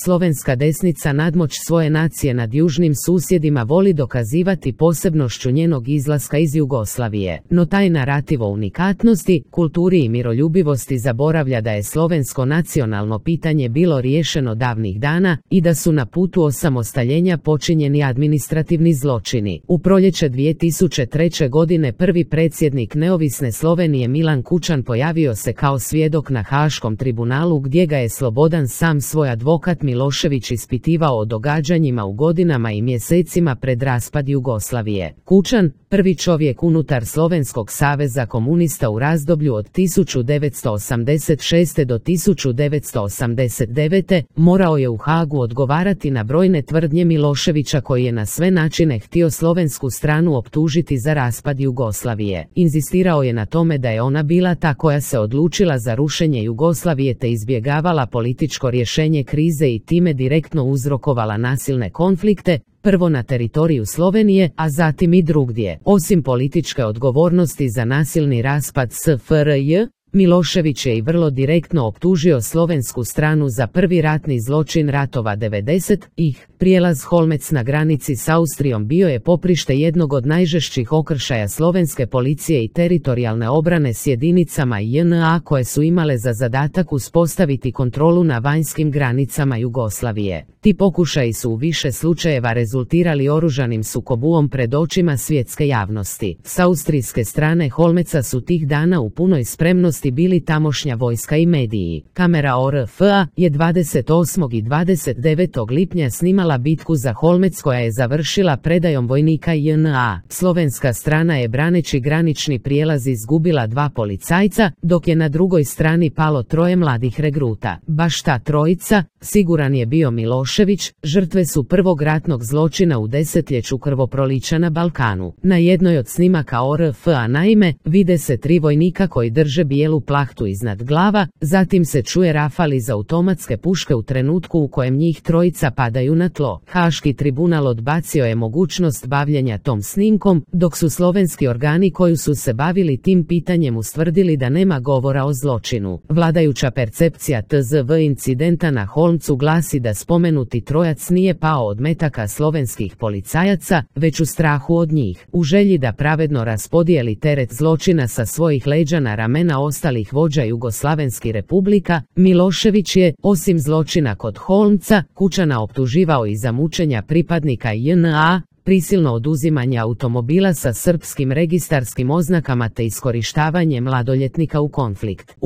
slovenska desnica nadmoć svoje nacije nad južnim susjedima voli dokazivati posebnošću njenog izlaska iz Jugoslavije, no taj narativ o unikatnosti, kulturi i miroljubivosti zaboravlja da je slovensko nacionalno pitanje bilo riješeno davnih dana i da su na putu osamostaljenja počinjeni administrativni zločini. U proljeće 2003. godine prvi predsjednik neovisne Slovenije Milan Kučan pojavio se kao svjedok na Haškom tribunalu gdje ga je Slobodan sam svoj advokat Milošević ispitivao o događanjima u godinama i mjesecima pred raspad Jugoslavije. Kučan, prvi čovjek unutar Slovenskog saveza komunista u razdoblju od 1986. do 1989. morao je u Hagu odgovarati na brojne tvrdnje Miloševića koji je na sve načine htio slovensku stranu optužiti za raspad Jugoslavije. Inzistirao je na tome da je ona bila ta koja se odlučila za rušenje Jugoslavije te izbjegavala političko rješenje krize i time direktno uzrokovala nasilne konflikte, prvo na teritoriju Slovenije, a zatim i drugdje. Osim političke odgovornosti za nasilni raspad SFRJ, Milošević je i vrlo direktno optužio slovensku stranu za prvi ratni zločin ratova 90-ih. Prijelaz Holmec na granici s Austrijom bio je poprište jednog od najžešćih okršaja slovenske policije i teritorijalne obrane s jedinicama JNA koje su imale za zadatak uspostaviti kontrolu na vanjskim granicama Jugoslavije. Ti pokušaji su u više slučajeva rezultirali oružanim sukobom pred očima svjetske javnosti. S austrijske strane Holmeca su tih dana u punoj spremnosti bili tamošnja vojska i mediji. Kamera ORF-a je 28. i 29. lipnja snimala bitku za Holmec koja je završila predajom vojnika JNA. Slovenska strana je braneći granični prijelaz izgubila 2 policajca, dok je na drugoj strani palo 3 mladih regruta. Baš ta trojica, siguran je bio Milošević, žrtve su prvog ratnog zločina u desetljeću krvoprolića na Balkanu. Na jednoj od snimaka ORF-a naime, vide se 3 vojnika koji drže bijelu plahtu iznad glava, zatim se čuje rafal iz automatske puške u trenutku u kojem njih trojica padaju na tlo. Haški tribunal odbacio je mogućnost bavljenja tom snimkom, dok su slovenski organi koji su se bavili tim pitanjem ustvrdili da nema govora o zločinu. Vladajuća percepcija TZV incidenta na Holmcu glasi da spomenuti trojac nije pao od metaka slovenskih policajaca, već u strahu od njih. U želji da pravedno raspodijeli teret zločina sa svojih leđa na ramena ostalih vođa Jugoslavenskih republika, Milošević je, osim zločina kod Holmca, Kučana optuživao i za mučenja pripadnika JNA, prisilno oduzimanje automobila sa srpskim registarskim oznakama te iskorištavanje mladoljetnika u konflikt.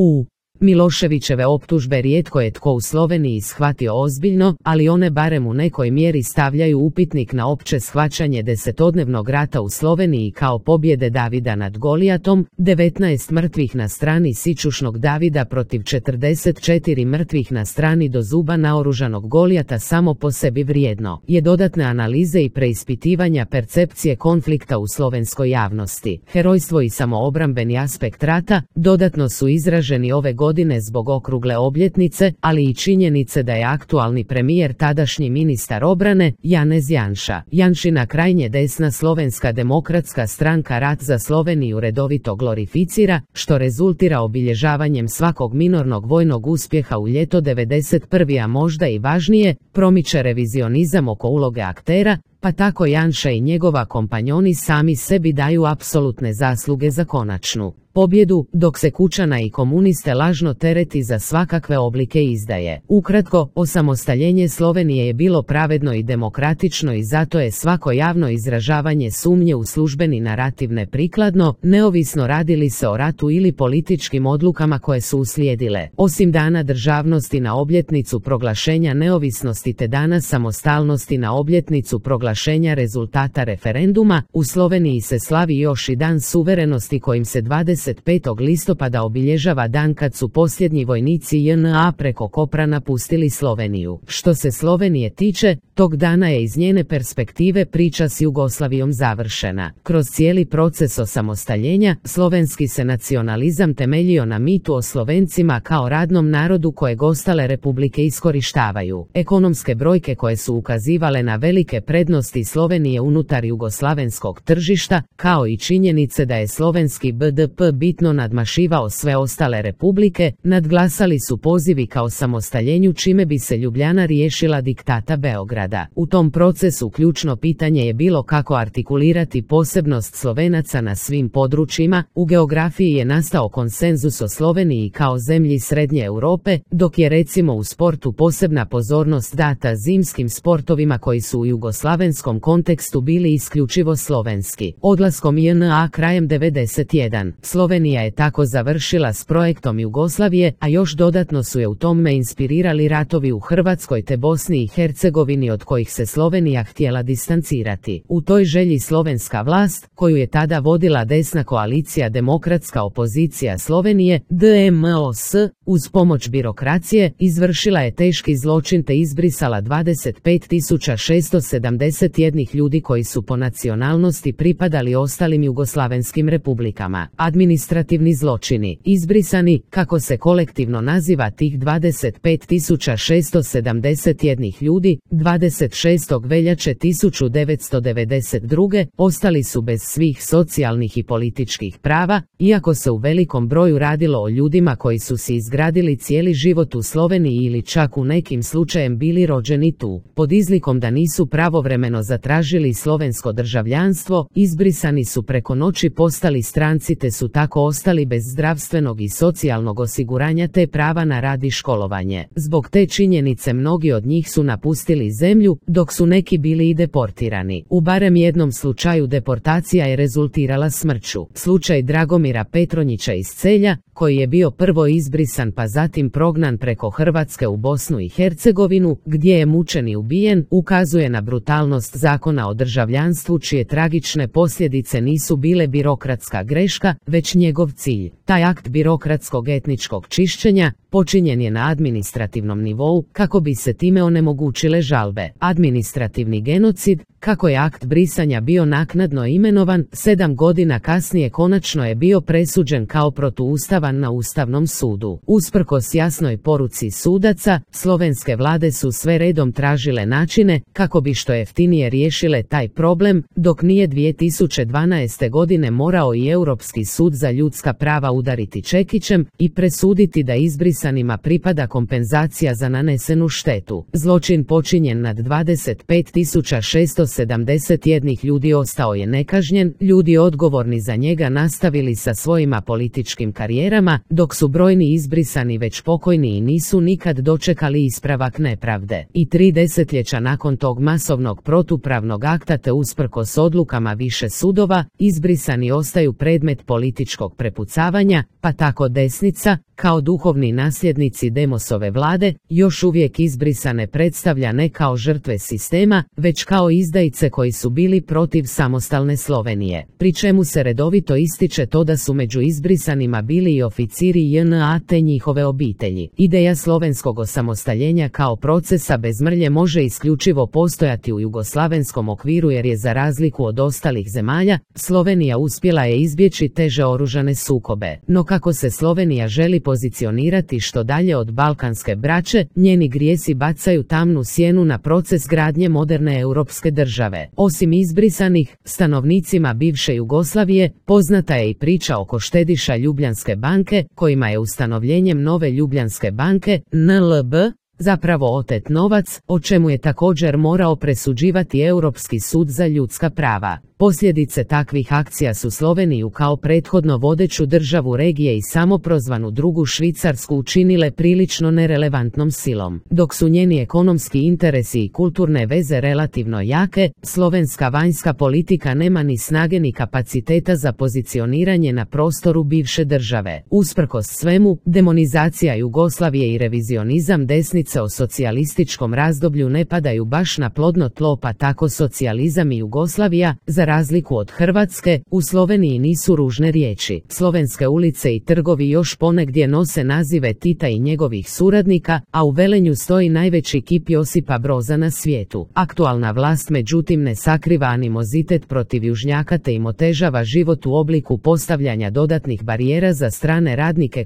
Miloševićeve optužbe rijetko je tko u Sloveniji shvatio ozbiljno, ali one barem u nekoj mjeri stavljaju upitnik na opće shvaćanje desetodnevnog rata u Sloveniji kao pobjede Davida nad Golijatom, 19 mrtvih na strani sićušnog Davida protiv 44 mrtvih na strani do zuba naoružanog Golijata samo po sebi vrijedno je dodatne analize i preispitivanja percepcije konflikta u slovenskoj javnosti. Herojstvo i samoobrambeni aspekt rata dodatno su izraženi ove godine zbog okrugle obljetnice, ali i činjenice da je aktualni premijer tadašnji ministar obrane, Janez Janša. Janšina krajnje desna Slovenska demokratska stranka rat za Sloveniju redovito glorificira, što rezultira obilježavanjem svakog minornog vojnog uspjeha u ljeto 91. a možda i važnije, promiče revizionizam oko uloge aktera, pa tako Janša i njegova kompanjoni sami sebi daju apsolutne zasluge za konačnu pobjedu, dok se Kučana i komuniste lažno tereti za svakakve oblike izdaje. Ukratko, osamostaljenje Slovenije je bilo pravedno i demokratično i zato je svako javno izražavanje sumnje u službeni narativ neprikladno, neovisno radi li se o ratu ili političkim odlukama koje su uslijedile. Osim Dana državnosti na obljetnicu proglašenja neovisnosti te Dana samostalnosti na obljetnicu proglašenja rezultata referenduma, u Sloveniji se slavi još i Dan suverenosti kojim se 25. listopada obilježava dan kad su posljednji vojnici JNA preko Kopra napustili Sloveniju. Što se Slovenije tiče, tog dana je iz njene perspektive priča s Jugoslavijom završena. Kroz cijeli proces osamostaljenja, slovenski se nacionalizam temeljio na mitu o Slovencima kao radnom narodu kojeg ostale republike iskorištavaju. Ekonomske brojke koje su ukazivale na velike prednosti prednosti Slovenije unutar jugoslavenskog tržišta, kao i činjenice da je slovenski BDP bitno nadmašivao sve ostale republike, nadglasali su pozivi ka osamostaljenju čime bi se Ljubljana riješila diktata Beograda. U tom procesu ključno pitanje je bilo kako artikulirati posebnost Slovenaca na svim područjima. U geografiji je nastao konsenzus o Sloveniji kao zemlji Srednje Europe, dok je recimo u sportu posebna pozornost data zimskim sportovima koji su u jugoslavenskom kontekstu bili isključivo slovenski. Odlaskom JNA krajem 91. Slovenija je tako završila s projektom Jugoslavije, a još dodatno su je u tome inspirirali ratovi u Hrvatskoj te Bosni i Hercegovini od kojih se Slovenija htjela distancirati. U toj želji slovenska vlast, koju je tada vodila desna koalicija Demokratska opozicija Slovenije, DMOS, uz pomoć birokracije, izvršila je teški zločin te izbrisala 25.671 ljudi koji su po nacionalnosti pripadali ostalim jugoslavenskim republikama. Administrativni zločini. Izbrisani, kako se kolektivno naziva tih 25.671 ljudi, 26. veljače 1992. ostali su bez svih socijalnih i političkih prava, iako se u velikom broju radilo o ljudima koji su si izgradili cijeli život u Sloveniji ili čak u nekim slučajem bili rođeni tu. Pod izlikom da nisu pravovremeno zatražili slovensko državljanstvo, izbrisani su preko noći postali stranci te su tako ostali bez zdravstvenog i socijalnog osiguranja te prava na rad i školovanje. Zbog te činjenice mnogi od njih su napustili zemlju, dok su neki bili i deportirani. U barem jednom slučaju deportacija je rezultirala smrću. Slučaj Dragomira Petronjića iz Celja, koji je bio prvo izbrisan pa zatim prognan preko Hrvatske u Bosnu i Hercegovinu, gdje je mučen i ubijen, ukazuje na brutalnost zakona o državljanstvu čije tragične posljedice nisu bile birokratska greška, već njegov cilj. Taj akt birokratskog etničkog čišćenja počinjen je na administrativnom nivou kako bi se time onemogućile žalbe. Administrativni genocid, kako je akt brisanja bio naknadno imenovan, 7 godina kasnije konačno je bio presuđen kao protuustavan na Ustavnom sudu. Usprkos jasnoj poruci sudaca, slovenske vlade su sve redom tražile načine kako bi što jeftinije riješile taj problem, dok nije 2012. godine morao i Europski sud za ljudska prava udariti čekićem i presuditi da izbrisanima pripada kompenzacija za nanesenu štetu. Zločin počinjen nad 25.671 ljudi ostao je nekažnjen, ljudi odgovorni za njega nastavili sa svojima političkim karijerama, dok su brojni izbrisani već pokojni i nisu nikad dočekali ispravak nepravde. I 3 desetljeća nakon tog masovnog protupravnog akta te usprkos odlukama više sudova, izbrisani ostaju predmet političkog prepucavanja, pa tako desnica, kao duhovni nasljednici Demosove vlade, još uvijek izbrisane predstavlja ne kao žrtve sistema, već kao izdajice koji su bili protiv samostalne Slovenije. Pri čemu se redovito ističe to da su među izbrisanima bili i oficiri JNA te njihove obitelji. Ideja slovenskog osamostaljenja kao procesa bez mrlje može isključivo postojati u jugoslavenskom okviru jer je za razliku od ostalih zemalja, Slovenija uspjela je izbjeći teže oružane sukobe. No kako se Slovenija želi pozicionirati što dalje od balkanske braće, njeni grijesi bacaju tamnu sjenu na proces gradnje moderne europske države. Osim izbrisanih, stanovnicima bivše Jugoslavije, poznata je i priča oko štediša Ljubljanske banke, kojima je ustanovljenjem nove Ljubljanske banke, NLB, zapravo otet novac, o čemu je također morao presuđivati Europski sud za ljudska prava. Posljedice takvih akcija su Sloveniju kao prethodno vodeću državu regije i samoprozvanu drugu Švicarsku učinile prilično nerelevantnom silom. Dok su njeni ekonomski interesi i kulturne veze relativno jake, slovenska vanjska politika nema ni snage ni kapaciteta za pozicioniranje na prostoru bivše države. Usprkos svemu, demonizacija Jugoslavije i revizionizam desnice o socijalističkom razdoblju ne padaju baš na plodno tlo, pa tako socijalizam i Jugoslavija, za Za razliku od Hrvatske, u Sloveniji nisu ružne riječi. Slovenske ulice i trgovi još ponegdje nose nazive Tita i njegovih suradnika, a u Velenju stoji najveći kip Josipa Broza na svijetu. Aktualna vlast međutim ne sakriva animozitet protiv južnjaka te im otežava život u obliku postavljanja dodatnih barijera za strane radnike,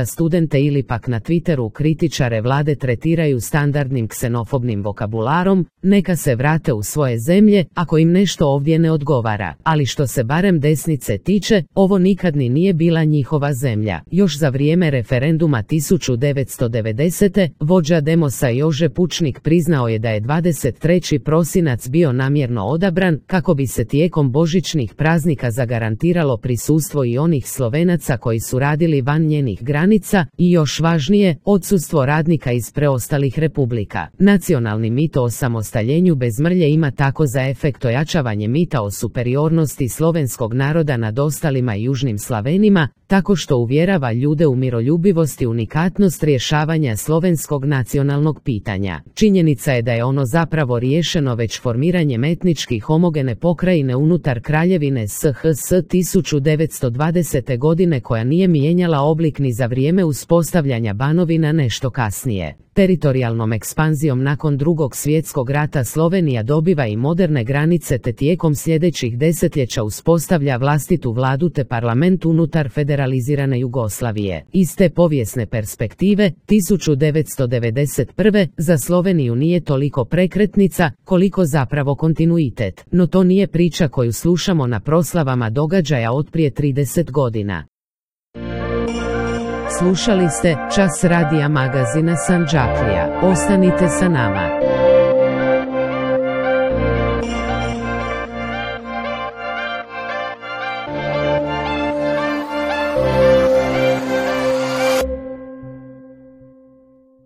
studente ili pak na Twitteru kritičare vlade tretiraju standardnim ksenofobnim vokabularom, neka se vrate u svoje zemlje ako im nešto ovdje ne odgovara. Ali što se barem desnice tiče, ovo nikad ni nije bila njihova zemlja. Još za vrijeme referenduma 1990. vođa Demosa Jože Pučnik priznao je da je 23. prosinac bio namjerno odabran kako bi se tijekom božićnih praznika zagarantiralo prisustvo i onih Slovenaca koji su radili van njenih granica i još važnije, odsustvo radnika iz preostalih republika. Nacionalni mit o osamostaljenju bez mrlje ima tako za efekt ojačavanje mita o superiornosti slovenskog naroda nad ostalima i južnim Slavenima, tako što uvjerava ljude u miroljubivost i unikatnost rješavanja slovenskog nacionalnog pitanja. Činjenica je da je ono zapravo riješeno već formiranjem etnički homogene pokrajine unutar Kraljevine SHS 1920. godine koja nije mijenjala oblik ni za vrijeme uspostavljanja Banovina nešto kasnije. Teritorijalnom ekspanzijom nakon Drugog svjetskog rata Slovenija dobiva i moderne granice te tijekom sljedećih desetljeća uspostavlja vlastitu vladu te parlament unutar federalizirane Jugoslavije. Iz te povijesne perspektive, 1991. za Sloveniju nije toliko prekretnica, koliko zapravo kontinuitet, no to nije priča koju slušamo na proslavama događaja od prije 30 godina. Slušali ste Čas radija magazina Sandžaklija. Ostanite sa nama.